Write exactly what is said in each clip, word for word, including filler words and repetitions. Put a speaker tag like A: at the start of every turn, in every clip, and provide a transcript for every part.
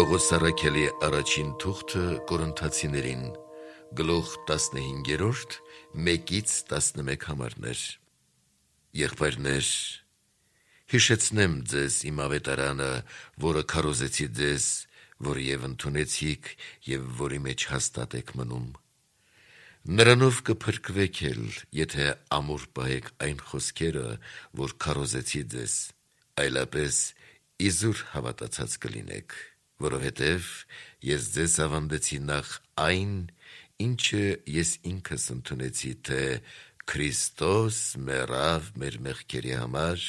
A: Պողոս առաքելի առաջին թուղթը Կորինթացիներին, գլուխ տասնհինգերորդ, մեկից տասնմեկ համարներ։ Եղբայրներ, հիշեցնեմ ձեզ իմ ավետարանը, որը քարոզեցի ձեզ, որը եւ ընդունեցիք եւ որի մեջ հաստատ եք մնում։ Նրանով կփրկվեք էլ, եթե ամուր պահեք այն խոսքերը, որ քարոզեցի ձեզ, այլապես իզուր հավատացած կլինեք, որովհետև ես ձեզ ավանդեցի նախ այն, ինչը ես ինքս ընդունեցի, թե Քրիստոս մեռավ մեր մեղքերի համար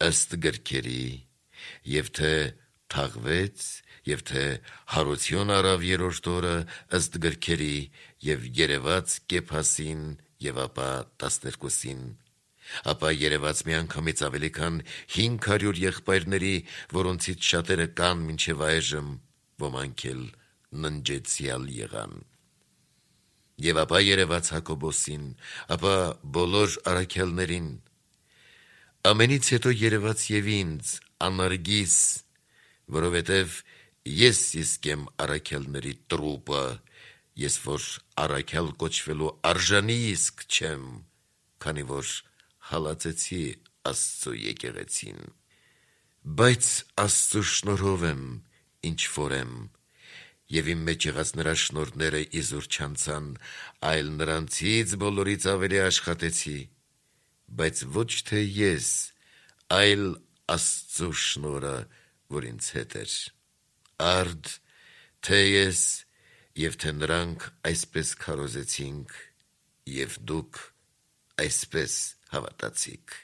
A: ըստ գրքերի, եւ թե թաղվեց, եւ թե հարություն առավ երրորդ օրը ըստ գրքերի, եւ երևաց Կեփասին եւ ապա տասներկուսին, ապա երևաց միանգամից ավելի քան հինգ հարյուր եղբայրների, որոնցից շատերը կան մինչև այժմ, ոմանք էլ ննջեցյալ եղան։ Եվ ապա երևաց Հակոբոսին, ապա բոլոր առաքյալներին, ամենից հետո երևաց եւ ինձ, անարգիս, որովհետև ես իսկ եմ առաքյալների տրուպը, ես որ առաքյալ կոչվելու արժանի իսկ չեմ, քանի որ հալածեցի Աստծո եկեղեցին։ Բայց Աստծո շնորհով եմ, ինչ որ եմ, եւ իմ մեջ եղած նրա շնորհները իզուր չանցան, այլ նրանցից բոլորից ավելի աշխատեցի, բայց ոչ թե ես, այլ Աստծո շնորհը, որ ինձ հետ էր։ Արդ, թե ես եւ թե նրանք այսպես քարոզեցինք, եւ դուք այսպես հավատացիք։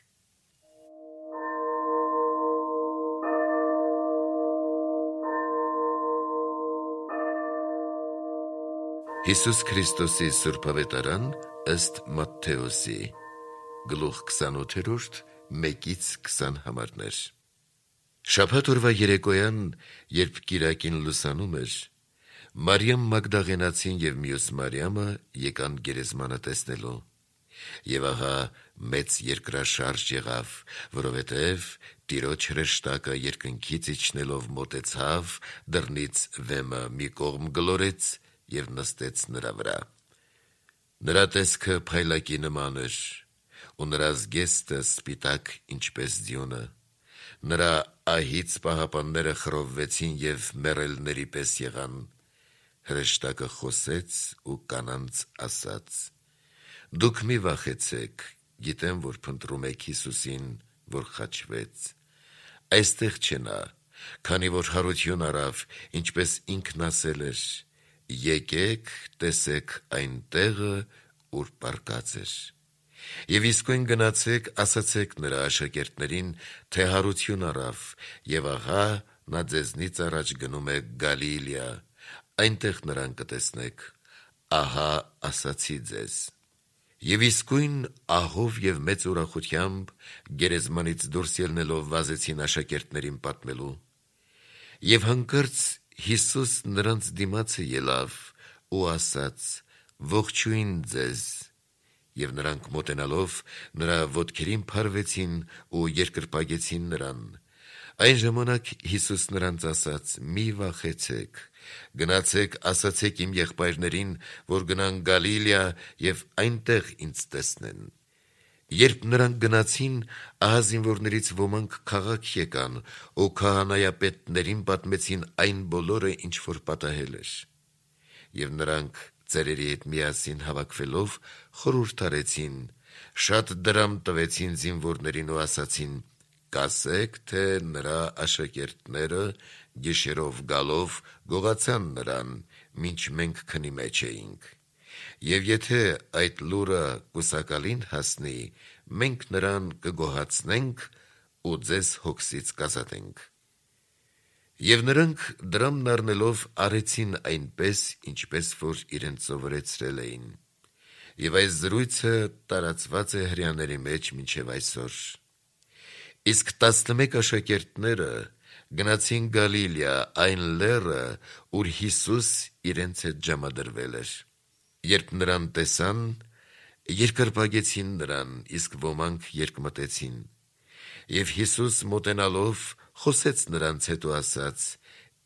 A: Հիսուս Քրիստոսի Սուրբ ավետարան ըստ Մատթեոսի, գլուխ քսանութերորդ, մեկից քսան համարներ։ Շաբաթ օրվա երեկոյան, երբ կիրակին լուսանում էր, Մարիամ Մագդաղենացին եւ մյուս Մարիամը եկան գերեզմանը տեսնելու։ Եվ ահա մեծ երկրաշարժ եղավ, որովհետև Տիրոջ հրեշտակը երկնքից իջնելով մոտեցավ, դռնից վեմը մի կողմ գլորեց եւ նստեց նրա վրա։ Նրա տեսքը փայլակի նման էր, ու նրա զգեստը սպիտակ ինչպես ձյունը։ Նրա ահից պահապանները խռովվեցին եւ մեռելների պես եղան։ Հրեշտակը խոսեց ու կանանց ասաց. «Դուք մի վախեցեք, գիտեմ, որ փնտրում եք Հիսուսին, որ խաչվեց։ Այստեղ չէ նա, քանի որ հարություն առավ, ինչպես ինքն ասել էր. եկեք, տեսեք այն տեղը, ուր պառկած էր։ Եվ իսկույն գնացեք, ասացեք նրա աշակերտներին, թե հարություն առավ, եւ ահա նա ձեզնից առաջ գնում է Գալիլեա, այնտեղ նրան կտեսնեք, ահա ասացի ձեզ»։ Եվ իսկույն ահով եւ մեծ ուրախությամբ գերեզմանից դուրս ելնելով վազեցին աշակերտներին պատմելու։ Եվ հանկարծ Հիսուս նրանց դիմացը ելավ ու ասաց. «Ողջույն ձեզ», եւ նրանք մոտենալով նրա ոտքերին փարվեցին ու երկրպագեցին նրան։ Այն ժամանակ Հիսուս նրանց ասաց. «Մի վախեցեք, գնացեք, ասացեք իմ եղբայրներին, որ գնան Գալիլեա եւ այնտեղ ինձ տեսնեն»։ Երբ նրանք գնացին, ահա զինվորներից ոմանք քաղաք եկան ու քահանայապետներին պատմեցին այն բոլորը, ինչ որ պատահել էր։ Եվ նրանք ծերերի հետ միասին հավաքվելով խորհուրդ արեցին, շատ դրամ տվեցին զինվորներին ու ասացին. «Կասեք, թե նրա աշակերտները գիշերով գալով գողացան նրան, մինչ մենք քնի մեջ էինք։ Եվ եթե այդ լուրը կուսակալին հասնի, մենք նրան կգոհացնենք ու ձեզ հոգսից կազատենք»։ Եվ նրանք դրամն առնելով արեցին այնպես, ինչպես որ իրենց սովորեցրել էին։ Եվ այս զրույցը տարածված է հրեաների մեջ մինչև այսօր։ Իսկ տասնմեկ աշակերտները գնացին Գալիլեա, այն լեռը, ուր Հիսուս իրենց հետ ժամադրվել էր։ Երբ նրան տեսան, երկրպագեցին նրան, իսկ ոմանք երկմտեցին։ Եվ Հիսուս մոտենալով խոսեց նրանց հետ ու ասաց.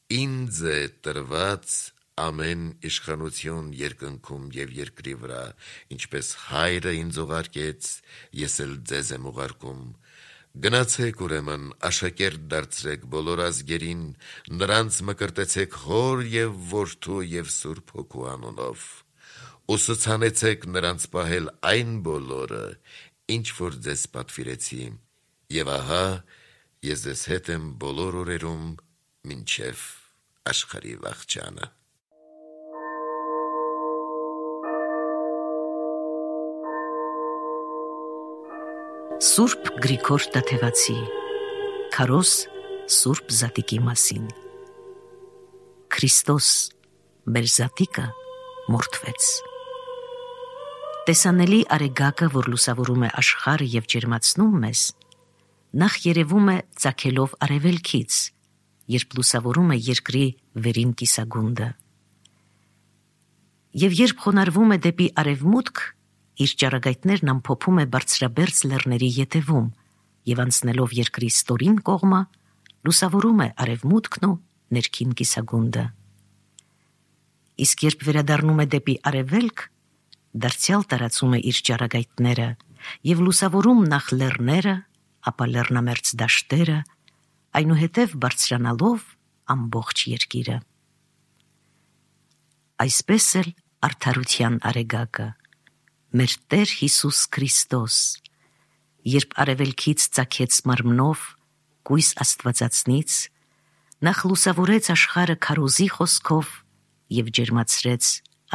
A: Ինձ է տրված ամեն իշխանություն երկնքում և երկրի վրա, ինչպես հայրը ինձ ուղարկեց, ես էլ ձեզ եմ ուղարկում, գնացեք ուրեմն աշակերտ դարձրեք բոլոր ազգերին, նրանց մկրտեցեք Հոր և Որդու և Սուրբ Հոգու անունով, ուսուցանեցեք նրանց պահել այն բոլորը, ինչ որ ձեզ պատվիրեցի, և ահա ես ձեզ հետ եմ բոլոր օրերում մինչև աշխարհի վախճանը։
B: Սուրբ Գրիգոր Տաթևացի Քարոզ Սուրբ Զատիկի մասին։ Քրիստոս մեր Զատիկը մորթվեց։ Տեսանելի արեգակը, որ լուսավորում է աշխարհը և ջերմացնում մեզ, նախ երևում է ծագելով արևելքից, երբ լուսավորում է երկրի վերին կիսագունդը։ Եվ երբ խոնարհվում է դեպի արևմուտք, իր ճառագայթներն ամփոփում է բարձրաբերձ լեռների ետևում և անցնելով երկրի ստորին կողմը, լուսավորում է արևմուտքն ու ներքին կիսագունդը։ Իսկ երբ վերադառնում է դեպի արևելք, դարձյալ տարածում է իր ճառագայթները և լուսավորում նախ լեռները, ապա լեռնամերձ դաշտերը, այնուհետև բարձրանալով ամբողջ երկիրը։ Այսպես էլ արդարության արեգակը, մեր Տեր Հիսուս Քրիստոս, երբ արևելքից ծագեց մարմնով, կույս Աստվածածնից, նախ լուսավորեց աշխարհը քարոզի խոսքով և ջերմացրեց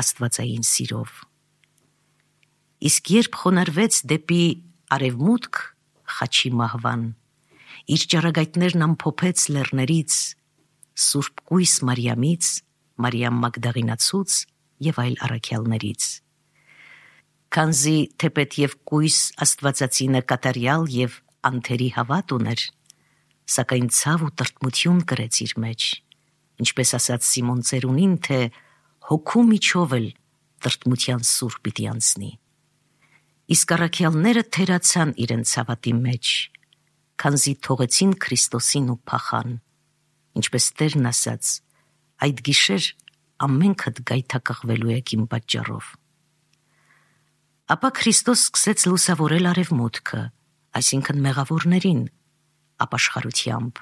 B: աստվածային սիրով։ Իսկ երբ խոնարհվեց դեպի արևմուտք խաչի մահվան, իր ճառագայթներն ամփոփեց լեռներից, Սուրբ կույս Մարիամից, Մարիամ Մագդաղինացուց և այլ առաքյալներից։ Քանզի թեպետ և կույս Աստվածածինը կատարյալ և անթերի հավատ ուներ, սակայն ցավ ու տրտմություն կրեց իր մեջ, ինչպես ասաց Սիմոն Ծերունին, թե հոգու միջով էլ տրտմության սուր պիտի անցնի։ Իսկ առաքյալները թերացան իրենց հավատի մեջ, քանզի թողեցին Քրիստոսին ու փախան, ինչպես Տերն ասաց. «Այդ գիշեր ամենքդ գայթակղվելու եք իմ պատճառով»։ Ապա Քրիստոս սկսեց լուսավորել արևմուտքը, այսինքն մեղավորներին, ապաշխարությամբ,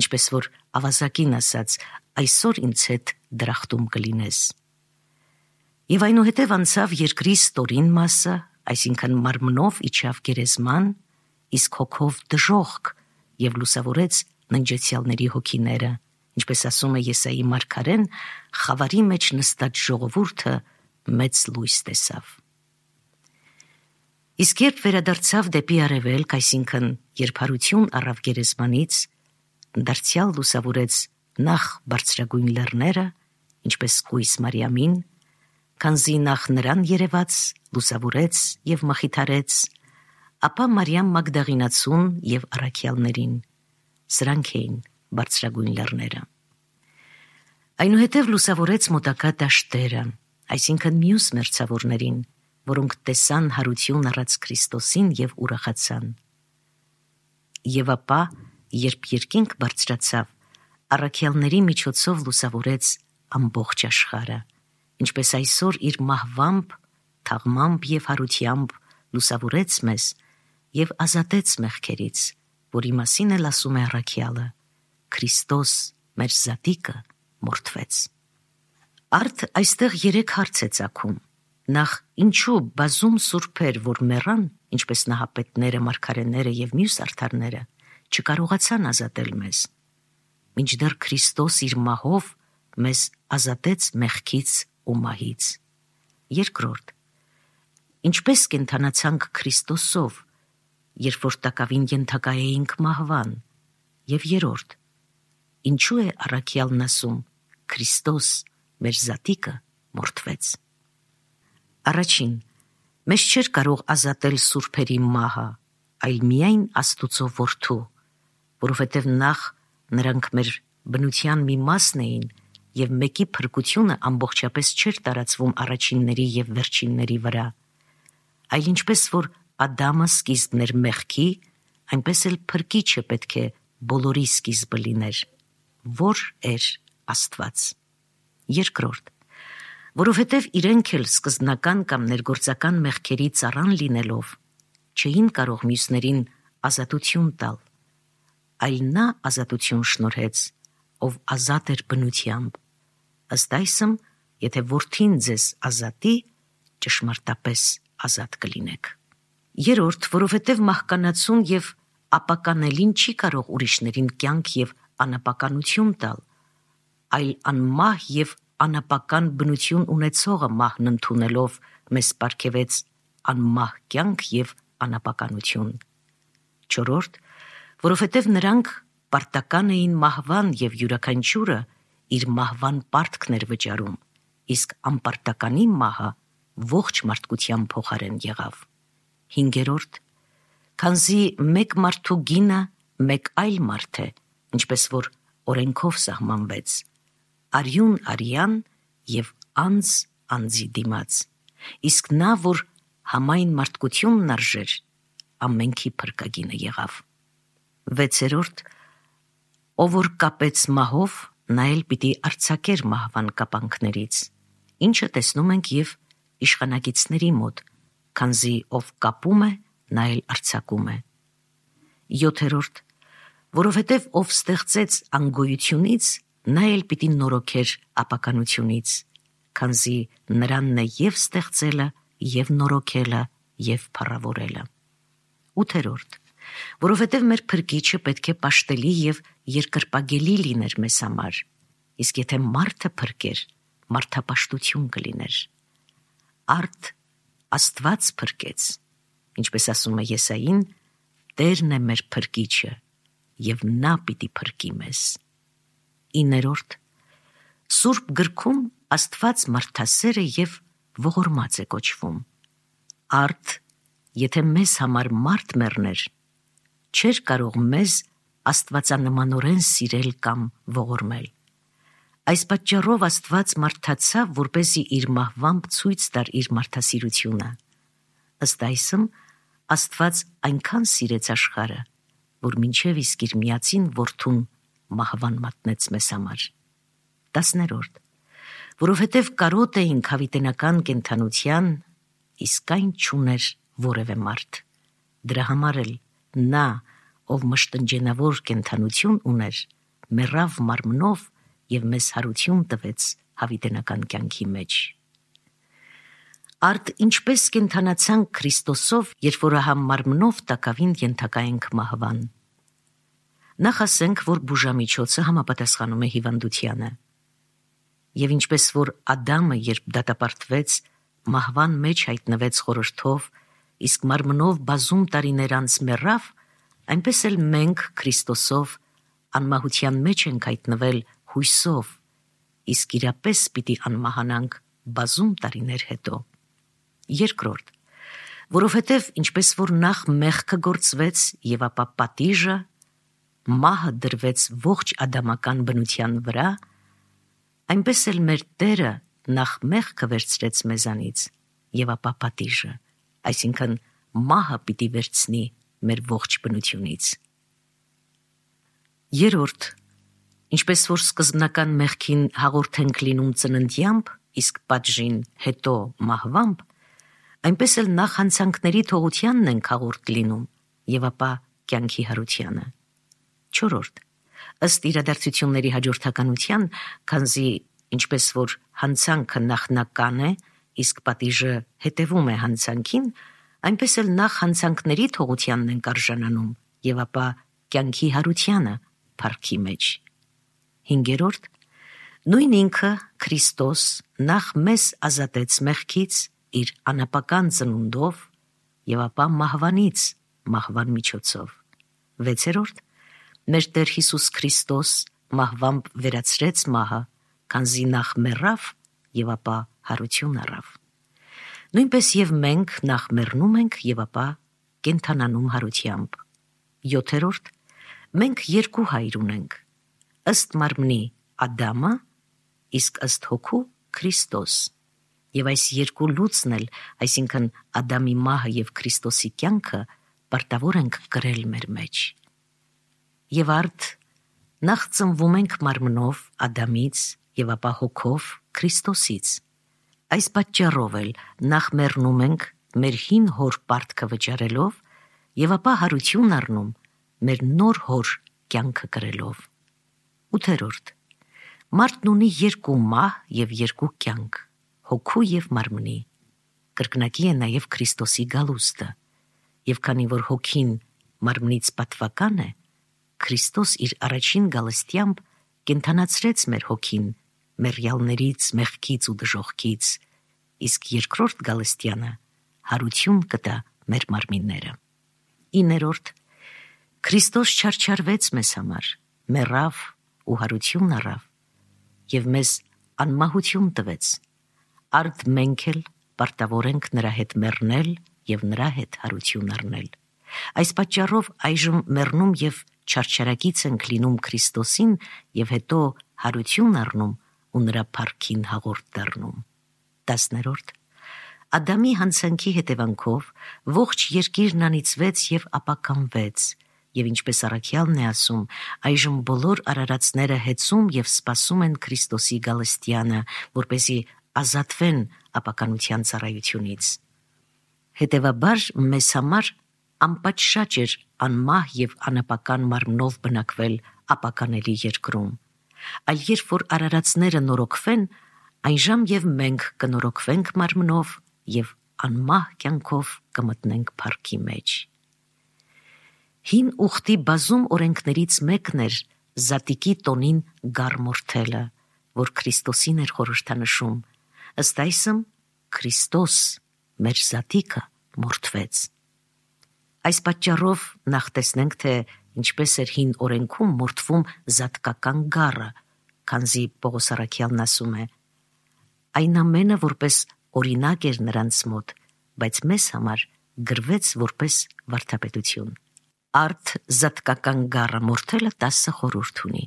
B: ինչպես որ ավազակին ասաց. «Այսօր ինձ հետ դրախտում կլինես»։ Եվ այնուհետև անցավ երկրի ստորին մասը, այսինքն մարմնով իջավ գերեզման, իսկ հոգով դժոխք և լուսավորեց ննջեցյալների հոգիները, ինչպես ասում է Եսայի մարգարեն, խավարի մեջ նստած ժողովուրդը մեծ լույս տեսավ։ Իսկ երբ վերադարձավ դեպի արևելք, այսինքն երբ հարություն առավ գերեզմանից, դարձյալ լուսավորեց նախ բարձրագույն լեռները, ինչպես կույս Մարիամին, քանզի նախ նրան երևաց, լուսավորեց և մխիթարեց, ապա Մարիամ Մագդաղինացուն և առաքյալներին, սրանք էին բարձրագույն լեռները։ Այնուհետև լուսավորեց մոտակա դաշտերը, այսինքն մյուս մերձավորներին, որոնք տեսան հարություն առած Քրիստոսին և ուրախացան։ Եվ ապա, երբ երկինք բարձրացավ, առաքյալների միջոցով լուսավորեց ամբողջ աշխարհը, ինչպես այսօր իր մահվամբ, թաղմամբ և հարությամբ լուսավորեց մեզ և ազատեց մեղքերից, որի մասին էլ ասում է առաքյալը. «Քրիստոս մեր Զատիկը մորթվեց»։ Արդ այստեղ երեք հարց է ծագում. նախ, ինչու բազում սուրբեր, որ մեռան, ինչպես նահապետները, մարգարեները և մյուս արդարները, չկարողացան ազատել մեզ, մինչդեռ Քրիստոս իր մահով մեզ ազատեց մեղքից ու մահից։ Երկրորդ, ինչպես կենդանացանք Քրիստոսով, երբ որ տակավին ենթակա էինք մահվան։ Եվ երրորդ, ինչու է առաքյալն ասում. «Քրիստոս մեր Զատիկը մորթվեց»։ Առաջին, մեզ չէր կարող ազատել սուրբերի մահը, այլ միայն Աստուծո Որդու, որովհետև նախ նրանք մեր բնության մի մասն էին և մեկի փրկությունը ամբողջապես չէր տարածվում առաջինների և վերջինների վրա, այլ ինչպես որ Ադամը սկիզբն էր մեղքի, այնպես էլ փրկիչը պետք է բոլորի սկիզբը լիներ, որ էր Աստված։ Երկրորդ, որովհետև իրենք էլ սկզբնական կամ ներգործական մեղքերի ծառան լինելով չէին կարող մյուսներին ազատություն տալ, այլ նա ազատություն շնորհեց, ով ազատ էր բնությամբ, ըստ այսմ, եթե որդին ձեզ ազատի, ճշմարտապես ազատ կլինեք։ Երրորդ, որովհետև մահկանացուն և ապականելին չի կարող ուրիշներին կյանք և անապականություն տալ, այլ անմահ և անապական բնություն ունեցողը մահն ընդունելով մեզ պարգևեց անմահ կյանք և անապականություն։ Չորրորդ, որովհետև նրանք պարտական էին մահվան և յուրաքանչյուրը իր մահվան պարտքն էր վճարում, իսկ անպարտականի մահը ողջ մարդկության փոխարեն եղավ։ Հինգերորդ, քանզի մեկ մարդու գինը մեկ այլ մարդ է, ինչպես որ օրենքով սահմանվեց, արյուն արյան և անձ անձի դիմաց, իսկ նա, որ համայն մարդկությունն արժեր, ամենքի փրկագինը եղավ։ Վեցերորդ, ով որ կապեց մահով, նա էլ պիտի արձակեր մահվան կապանքներից, ինչը տեսնում ենք և իշխանագիծների մոտ, քանզի ով կապում է, նա էլ արձակում է։ Յոթերորդ, որովհետև ով ստեղծեց անգոյությունից, նա էլ պիտի նորոգեր ապականությունից, քանզի նրանն է և ստեղծելը, և նորոգելը, և փառավորելը։ Ութերորդ, որովհետև մեր փրկիչը պետք է պաշտելի և երկրպագելի լիներ մեզ համար, իսկ եթե մարդը փրկեր, մարդապաշտություն կլիներ։ Արդ Աստված փրկեց, ինչպես ասում է Եսային, Տերն է մեր փրկիչը, և նա պիտի փրկի մեզ։ Իներորդ, Սուրբ գրքում Աստված մարդասեր է և ողորմած է կոչվում։ Արդ, եթե մեզ համար մարդ մեռներ, չէր կարող մեզ աստվածանմանորեն սիրել կամ ողորմել։ Այս պատճառով Աստված մարդացավ, որպեսզի իր մահվամբ ցույց տար իր մարդասիրությունը։ Ըստ այսմ, Աստված այնքան սիրեց աշխարհը, որ մինչև իսկ իր միածին որդուն մահվան մատնեց մեզ համար։ Տասներորդ, որովհետև կարոտ էինք հավիտենական կենդանության, իսկ այն չուներ որևէ մարդ։ Դրա համար էլ նա, ով մշտնջենավոր կենդանություն ուներ, մեռավ մարմնով և մեզ հարություն տվեց հավիտենական կյանքի մեջ։ Արդ ինչպես կենդանացանք Քրիստոսով, երբ որ ահա մարմնով տակավին ենթակա ենք մահվան։ Նախ ասենք, որ բուժամիջոցը համապատասխանում է հիվանդությանը։ Եվ ինչպես որ Ադամը, երբ դատապարտվեց, մահվան մեջ հայտնվեց խորհրդով, իսկ մարմնով բազում տարիներ անց մեռավ, այնպես էլ մենք Քրիստոսով անմահության մեջ ենք հայտնվել հույսով, իսկ իրապես պիտի անմահանանք բազում տարիներ հետո։ Երկրորդ, որովհետև ինչպես որ նախ մեղքը գործվեց և ապա պատիժը, մահը դրվեց ողջ ադամական բնության վրա, այնպես էլ մեր Տերը նախ մեղքը վերցրեց մեզանից և ապա պատիժը, այսինքն մահը պիտի վերցնի մեր ողջ բնությունից։ Երորդ, ինչպես որ սկզբնական մեղքին հաղորդ ենք լինում ծննդյամբ, իսկ պատժին հետո մահվամբ, այնպես էլ նախ հանցանքների թողությանն ենք հաղորդ լինում և ապա կյանքի հարությանը։ Չորրորդ, ըստ իրադարձությունների հաջորդականության, քանզի ինչպես որ հանցանքը նախնական է, իսկ պատիժը հետևում է հանցանքին, այնպես էլ նախ հանցանքների թողությանն ենք արժանանում և ապա կյանքի հարությանը փառքի մեջ։ Հինգերորդ, նույն ինքը Քրիստոս նախ մեզ ազատեց մեղքից իր անապական ծնունդով և ապա մահվանից մահվան միջոցով։ Վեցերորդ, մեր Տեր Հիսուս Քրիստոս մահվամբ վերացրեց մահը, քանզի նախ մեռավ և ապա հարություն առավ։ Նույնպես և մենք նախ մեռնում ենք և ապա կենդանանում հարությամբ։ Յոթերորդ, մենք երկու հայր ունենք, ըստ մարմնի Ադամը, իսկ ըստ հոգու Քրիստոս, և այս երկու լուծն էլ, այսինքն Ադամի մահը և Քրիստոսի կյանքը, պարտավոր ենք կրել մեր մեջ։ Եվ արդ Նախ ծնվում ենք մարմնով Ադամից եւ ապա հոգով Քրիստոսից։ Այս պատճառով էլ նախ մեռնում ենք մեր հին հոր պարտքը վճարելով եւ ապա հարություն առնում մեր նոր հոր կյանքը կրելով։ ութերորդ. Մարդն ունի երկու մահ եւ երկու կյանք, հոգու եւ մարմնի։ Կրկնակի է նաեւ Քրիստոսի գալուստը, եւ քանի որ հոգին մարմնից պատվական է, Քրիստոս իր առաջին գալստյամբ կենթանացրեց մեր հոգին մեռյալներից, մեղքից ու դժոխքից, իսկ երկրորդ գալստյանը հարություն կտա մեր մարմինները։ Իներորդ. Քրիստոս չարչարվեց մեզ համար, մեռավ ու հարություն առավ եւ մեզ անմահություն տվեց։ Արդ մենք էլ պարտավոր ենք նրա հետ մեռնել եւ նրա հետ հարություն առնել։ Այս պատճառով այժմ մեռնում եւ չարչարակից ենք լինում Քրիստոսին եւ հետո հարություն առնում ու նրա փառքին հաղորդ դառնում։ տասներորդ. Ադամի հանցանքի հետևանքով ողջ երկիրն անիծվեց եւ ապականվեց, եւ ինչպես առաքյալն է ասում, այժմ բոլոր արարածները հեծում եւ սպասում են Քրիստոսի գալստյանը, որպեսզի ազատվեն ապականության ծառայությունից։ Հետևաբար մեզ համար անպատշաճ էր անմահ եւ անապական մարմնով բնակվել ապականելի երկրում, այլ երբ որ արարածները նորոգվեն, այնժամ եւ մենք կնորոգվենք մարմնով եւ անմահ կյանքով կմտնենք փառքի մեջ։ Հին ուխտի բազում օրենքներից մեկն էր զատիկի տոնին գառմորթելը, որ Քրիստոսին էր խորհրդանշում, ըստ այսմ Քրիստոս մեր զատիկը մորթվեց։ Այս պատճառով նախ տեսնենք, թե ինչպես էր հին օրենքում մորթվում զատկական գառը, քանզի Պողոս առաքյալն ասում է. այն ամենը որպես օրինակ էր նրանց մոտ, բայց մեզ համար գրվեց որպես վարդապետություն։ Արդ զատկական գառը մորթելը տասը խորհուրդ ունի։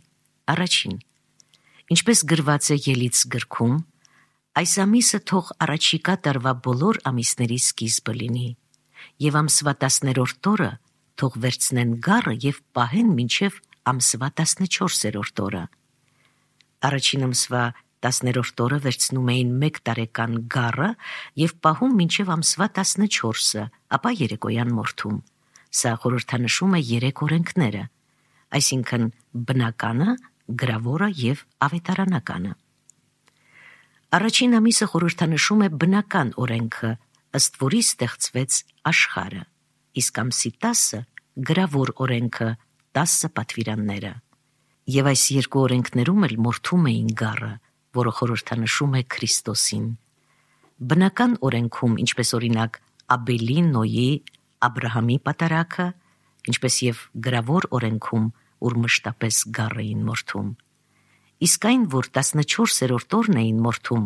B: Առաջին. ինչպես գրված է Ելից գրքում, այս ամիսը թող առաջիկա տարվա բոլոր ամիսների սկիզբը լինի, եւ ամսվա տասներորդ օրը թող վերցնեն գառը եւ պահեն մինչեւ ամսվա տասնչորսերորդ օրը։ Առաջին ամսվա տասներորդ օրը վերցնում էին մեկ տարեկան գառը եւ պահում մինչեւ ամսվա տասնչորսը, ապա երեկոյան մորթում։ Սա խորհրդանշում է երեք օրենքները, այսինքն բնականը, գրավորը եւ ավետարանականը։ Առաջին ամիսը խորհրդանշում է բնական օրենքը, ըստ որի ստեղծվեց աշխարհը, իսկ ամսի տասը գրավոր օրենքը, տասը պատվիրանները։ Եվ այս երկու օրենքներում էլ մորթում էին գառը, որը խորհրդանշում է Քրիստոսին։ Բնական օրենքում, ինչպես օրինակ Աբելի, Նոյի, Աբրահամի պատարագը, ինչպես եւ գրավոր օրենքում, ուր մշտապես գառը էին մորթում։ Իսկ այն, որ տասնչորսերորդ օրն էին մորթում,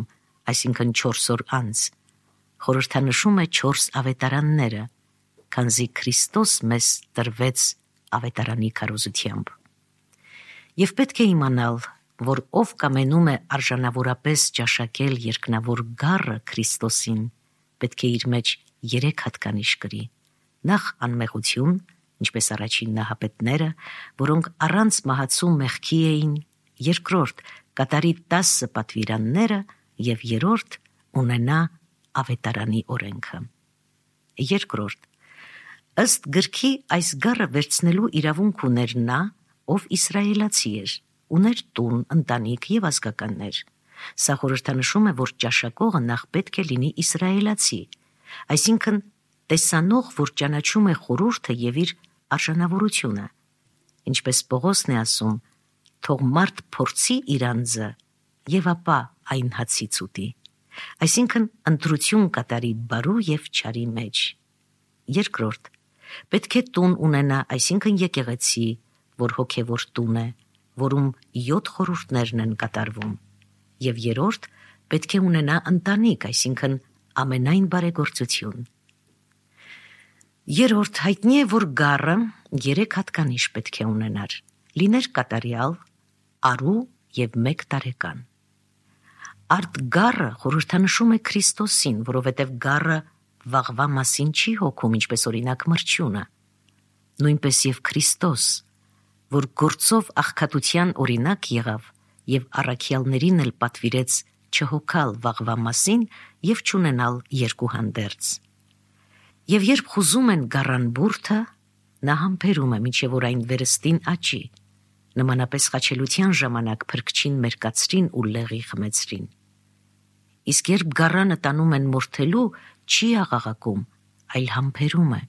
B: այսինքն չորս օր անց, խորհրդանշում է չորս ավետարանները, քանզի Քրիստոս մեզ տրվեց ավետարանի քարոզությամբ։ Եվ պետք է իմանալ, որ ով կամենում է արժանավորապես ճաշակել երկնավոր գառը Քրիստոսին, պետք է իր մեջ երեք հատկանիշ կրի. նախ անմեղություն, ինչպես առաջին նահապետները, որոնք առանց մահացու մեղքի էին, երկրորդ կատարի տասը պատվիրանները եւ երրորդ ունենա ավետարանի օրենքը։ Երկրորդ. ըստ գրքի այս գառը վերցնելու իրավունք ուներ նա, ով իսրայելացի էր, ուներ տուն, ընտանիք եւ ազգականներ։ Սա խորհրդանշում է, որ ճաշակողը նախ պետք է լինի իսրայելացի, այսինքն տեսանող, որ ճանաչում է խորհուրդը եւ իր արժանավորությունը։ Ինչպես Պողոսն է ասում, թող մարդ փորձի իր անձը եւ ապա այն հացից ուտի, այսինքն ընտրություն կատարի բարու եւ չարի մեջ։ Երկրորդ. պետք է տուն ունենա, այսինքն եկեղեցի, որ հոգևոր տուն է, որում յոթ խորհուրդներն են կատարվում։ Եվ երրորդ, պետք է ունենա ընտանիք, այսինքն ամենայն բարեգործություն։ Երրորդ, հայտնի է, որ գառը երեք հատկանիշ պետք է ունենար, լիներ կատարյալ, արու եւ մեկ տարեկան։ Արդ գառը խորհրդանշում է Քրիստոսին, որովհետև գառը վաղվա մասին չի հոգում, ինչպես օրինակ մրջյունը։ Նույնպես եւ Քրիստոս, որ գործով աղքատության օրինակ եղավ եւ առաքյալներին էլ պատվիրեց չհոգալ վաղվա մասին եւ չունենալ երկու հանդերձ։ Եվ երբ խուզում են գառան բուրդը, նա համբերում է մինչև որ այն վերստին աճի, նմանապես խաչելության ժամանակ փրկչին մերկացրին ու լեղի խմեցրին։ Իսկ երբ գառանը տանում են մորթելու, չի աղաղակում, այլ համբերում է,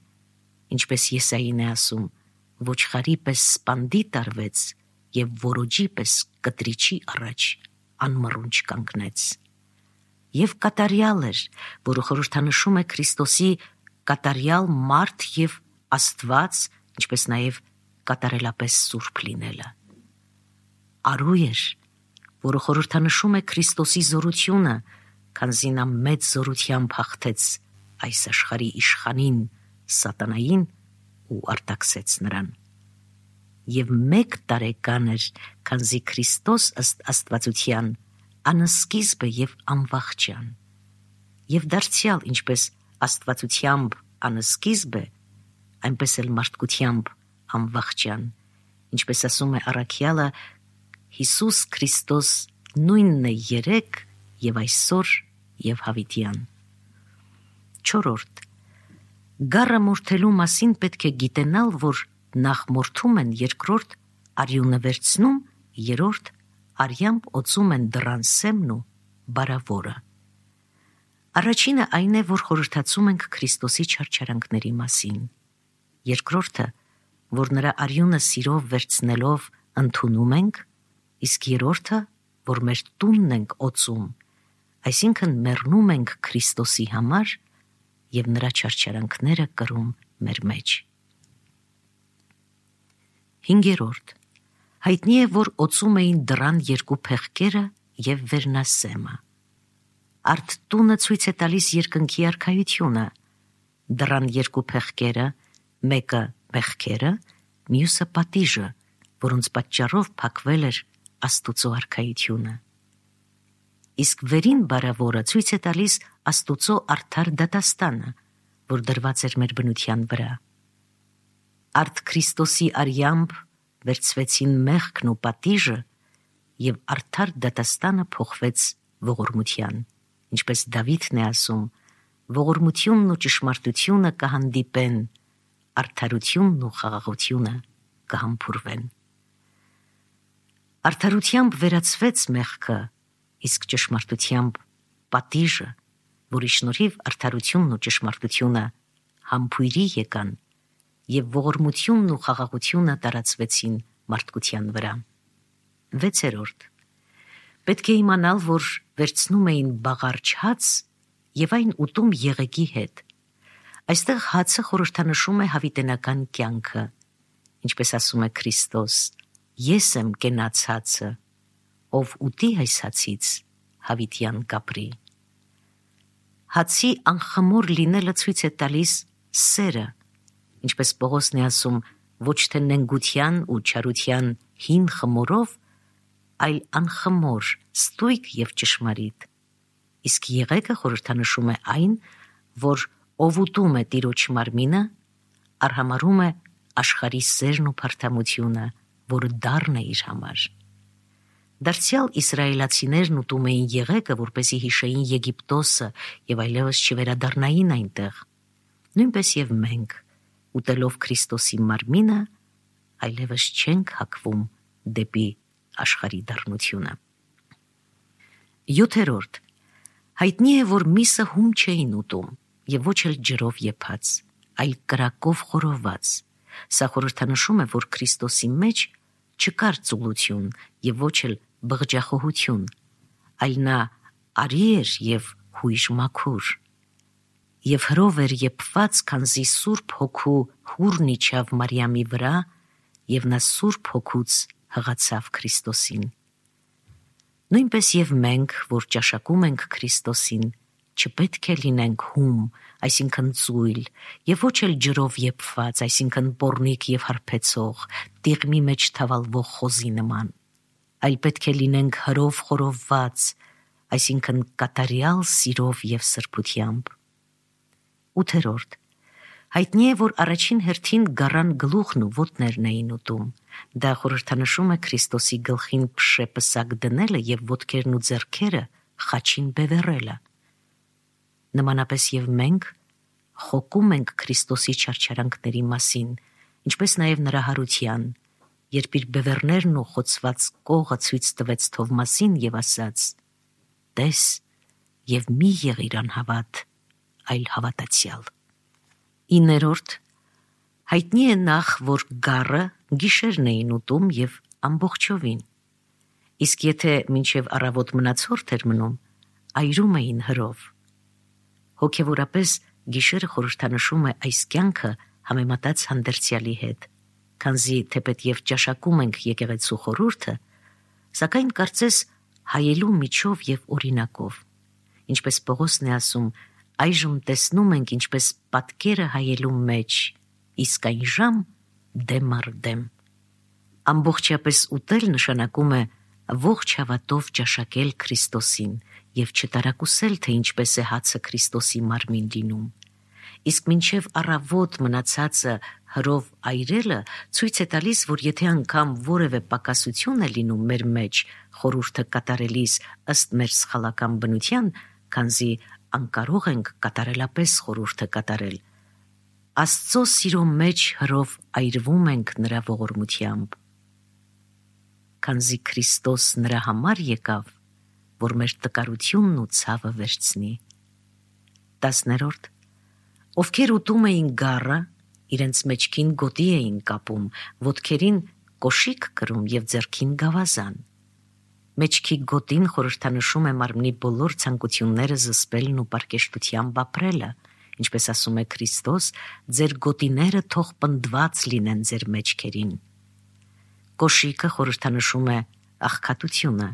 B: ինչպես Եսային է ասում, ոչխարի պես սպանդի տարվեց եւ որոջի պես կտրիչի առաջ անմռունչ կանգնեց։ Եվ կատարյալ էր, որը խորհրդանշում է Քրիստոսի կատարյալ մարդ եւ Աստված, ինչպես նաեւ կատարելապես սուրբ լինելը։ Արու էր, որը խորհրդանշում է Քրիստոսի զորությունը, քանզի նա մեծ զորությամբ հաղթեց այս աշխարհի իշխանին սատանային ու արտաքսեց նրան։ Եվ մեկ տարեկան էր, քանզի Քրիստոս ըստ աստվածության անսկիզբ է եւ անվախճան։ Եվ դարձյալ ինչպես աստվածությամբ անսկիզբ է, այնպես էլ մարդկությամբ անվախճան, ինչպես ասում է առաքյալը, Հիսուս Քրիստոս նույնն է երեկ եւ այսօր եւ հավիտյան։ Չորրորդ. Գառը մորթելու մասին պետք է գիտենալ, որ նախ մորթում են, երկրորդ արյունը վերցնում, երրորդ արյամբ օծում են դռան սեմն ու բարավորը։ Առաջինը այն է, որ խորհրդացում ենք Քրիստոսի չարչարանքների մասին։ Երկրորդը, որ նրա արյունը սիրով վերցնելով ընդունում ենք, իսկ երրորդը, որ մեր տունն ենք օծում, այսինքն մեռնում ենք Քրիստոսի համար եւ նրա չարչարանքները կրում մեր մեջ։ Հինգերորդ. հայտնի է, որ օծում էին դռան երկու փեղկերը եւ վերնասեմը։ Արդ տունը ցույց է տալիս երկնքի արքայությունը։ Դռան երկու փեղկերը, մեկը մեղքերը, մյուսը պատիժը, որոնց պատճառով փակվել էր Աստուծո արքայությունը։ Իսկ վերին բարավորը ցույց է տալիս Աստուծո արդար դատաստանը, որ դրված էր մեր բնության վրա։ Արդ Քրիստոսի արյամբ վերցվեցին մեղքն ու պատիժը եւ արդար դատաստանը փոխվեց ողորմության, ինչպես Դավիթն է ասում, ողորմությունն ու ճշմարտությունը կհանդիպեն, արդարությունն ու խաղաղությունը կհամբուրվեն։ Արդարությամբ վերացվեց մեղքը, իսկ ճշմարտությամբ պատիժը, որի շնորհիվ արդարությունն ու ճշմարտությունը համբույրի եկան եւ ողորմությունն ու խաղաղությունը տարածվեցին մարդկության վրա։ Վեցերորդ. պետք է իմանալ, որ վերցնում էին բաղարջ հաց եւ այն ուտում եղեգի հետ։ Այստեղ հացը խորհրդանշում է հավիտենական կյանքը, ինչպես ասում է Քրիստոս. Ես եմ կենաց հացը, ով ուտի այս հացից հավիտյան կապրի։ Հացի անխմոր լինելը ցույց է տալիս սերը, ինչպես Պողոսն է ասում, ոչ թե նենգության ու չարության հին խմորով, այլ անխմոր, ստույգ եւ ճշմարիտ։ Իսկ եղեգը խորհրդանշում է այն, որ ով ուտում է Տիրոջ մարմինը, արհամարհում է աշխարհի սերն ու փարթամությունը, որը դառն է իր համար։ Դարձյալ իսրայելացիներն ուտում էին եղեգը, որպեսզի հիշեին Եգիպտոսը եւ այլևս չվերադառնային այնտեղ։ Նույնպես եւ մենք, ուտելով Քրիստոսի մարմինը, այլևս չենք հակվում դեպի աշխարհի դառնությունը։ Յոթերորդ. հայտնի է, որ միսը հում չէին ուտում եւ ոչ էլ ջրով եփած, այլ կրակով խորոված։ Սա խորհրդանշում է, որ Քրիստոսի մեջ չկար ծուլություն եւ ոչ էլ բղջախոհություն, այլ նա արի էր եւ հույժ մաքուր։ Եվ հրով էր եփված, քանզի Սուրբ Հոգու հուրն իջավ Մարիամի վրա, եւ նա Սուրբ Հոգուց հղացավ Քրիստոսին։ Նույնպես եւ մենք, որ ճաշակում ենք Քրիստոսին, չպետք է լինենք հում, այսինքն ծույլ, եւ ոչ էլ ջրով եփված, այսինքն պոռնիկ եւ հարբեցող, տիղմի մեջ թավալվող խոզի նման, այլ պետք է լինենք հրով խորոված, այսինքն կատարյալ սիրով եւ սրբությամբ։ Ութերորդ. հայտնի է, որ առաջին հերթին գառան գլուխն ու ոտներն էին ուտում, Դա խորհրդանշում է Քրիստոսի գլխին փշե պսակ դնելը եւ ոտքերն ու ձեռքերը խաչին բևեռելը։ Նմանապես եւ մենք խոկում ենք Քրիստոսի չարչարանքների մասին, ինչպես նաեւ նրա հարության, երբ իր բևեռներն ու խոցված կողը ցույց տվեց Թովմասին եւ ասաց. «Տես եւ մի եղիր անհավատ, այլ հավատացյալ»։ Իներորդ հայտնի է նախ, որ գառը գիշերն էին ուտում եւ ամբողջովին, իսկ եթե մինչև առավոտ մնացորդ էր մնում, այրում էին հրով։ Հոգևորապես գիշերը խորհրդանշում է այս կյանքը համեմատած հանդերձյալի հետ, քանզի թեպետ եւ ճաշակում ենք եկեղեցու խորհուրդը, սակայն կարծես հայելու միջով եւ օրինակով, ինչպես Պողոսն է ասում, այժմ տեսնում ենք ինչպես պատկերը հայելու մեջ, իսկ այն ժամ դեմ առ դեմ։ Ամբողջապես ուտել նշանակում է ողջ հավատով ճաշակել Քրիստոսին եւ չտարակուսել, թե ինչպես է հացը Քրիստոսի մարմին լինում։ Իսկ մինչև առավոտ մնացածը հրով այրելը ցույց է տալիս, որ եթե անգամ որևէ պակասություն է լինում մեր մեջ խորհուրդը կատարելիս ըստ մեր սխալական բնության, քանզի անկարող ենք կատարելապես խորհուրդը կատարել, Աստծո սիրո մեջ հրով այրվում ենք նրա ողորմությամբ, քանզի Քրիստոս նրա համար եկավ, որ մեր տկարությունն ու ցավը վերցնի։ Տասներորդ Ովքեր ուտում էին գառը, իրենց մեջքին գոտի էին կապում, ոտքերին կոշիկ կրում եւ ձեռքին գավազան։ Մեջքի գոտին խորհրդանշում է մարմնի բոլոր ցանկությունները զսպելն ու պարկեշտությամբ ապրելը, ինչպես ասում է Քրիստոս, ձեր գոտիները թող պնդված լինեն ձեր մեջքերին։ Կոշիկը խորհրդանշում է աղքատությունը,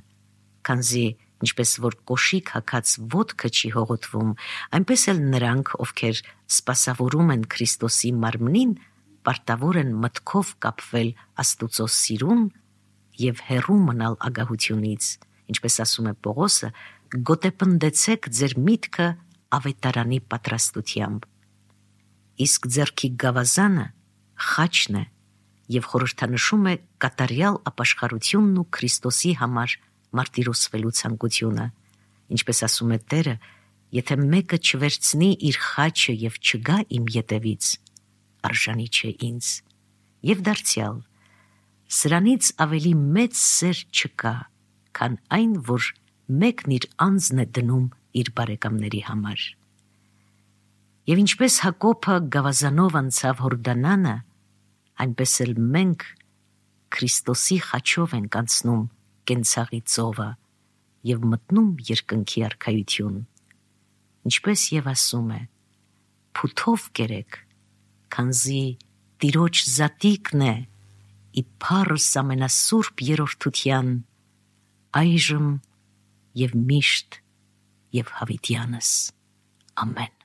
B: քանզի ինչպես որ կոշիկ հագած ոտքը չի հողոտվում, այնպես էլ նրանք, ովքեր սպասավորում են Քրիստոսի մարմնին, պարտավոր են մտքով կապվել Աստուծո սիրուն եւ հեռու մնալ ագահությունից, ինչպես ասում է Պողոսը, գոտեպնդեցեք ձեր միտքը ավետարանի պատրաստությամբ։ Իսկ ձեռքի գավազանը խաչն է եւ խորհրդանշում է կատարյալ ապաշխարությունն ու Քրիստոսի համար մարտիրոսվելու ցանկությունը, ինչպես ասում է Տերը, եթե մեկը չվերցնի իր խաչը եւ չգա իմ ետևից, արժանի չէ ինձ։ Եվ դարձյալ, սրանից ավելի մեծ սեր չկա, քան այն, որ մեկն իր անձն է դնում իր բարեկամների համար։ Եվ ինչպես Հակոբը գավազանով անցավ Հորդանանը, այնպես էլ մենք Քրիստոսի խաչով ենք անցնում կենցաղի ծովը եւ մտնում երկնքի արքայություն, ինչպես եւ ասում է. «Փութով կերեք, քանզի Տիրոջ զատիկն է ի փառս ամենասուրբ երրորդության, այժմ եւ միշտ եւ հավիտյանս։ Ամեն»։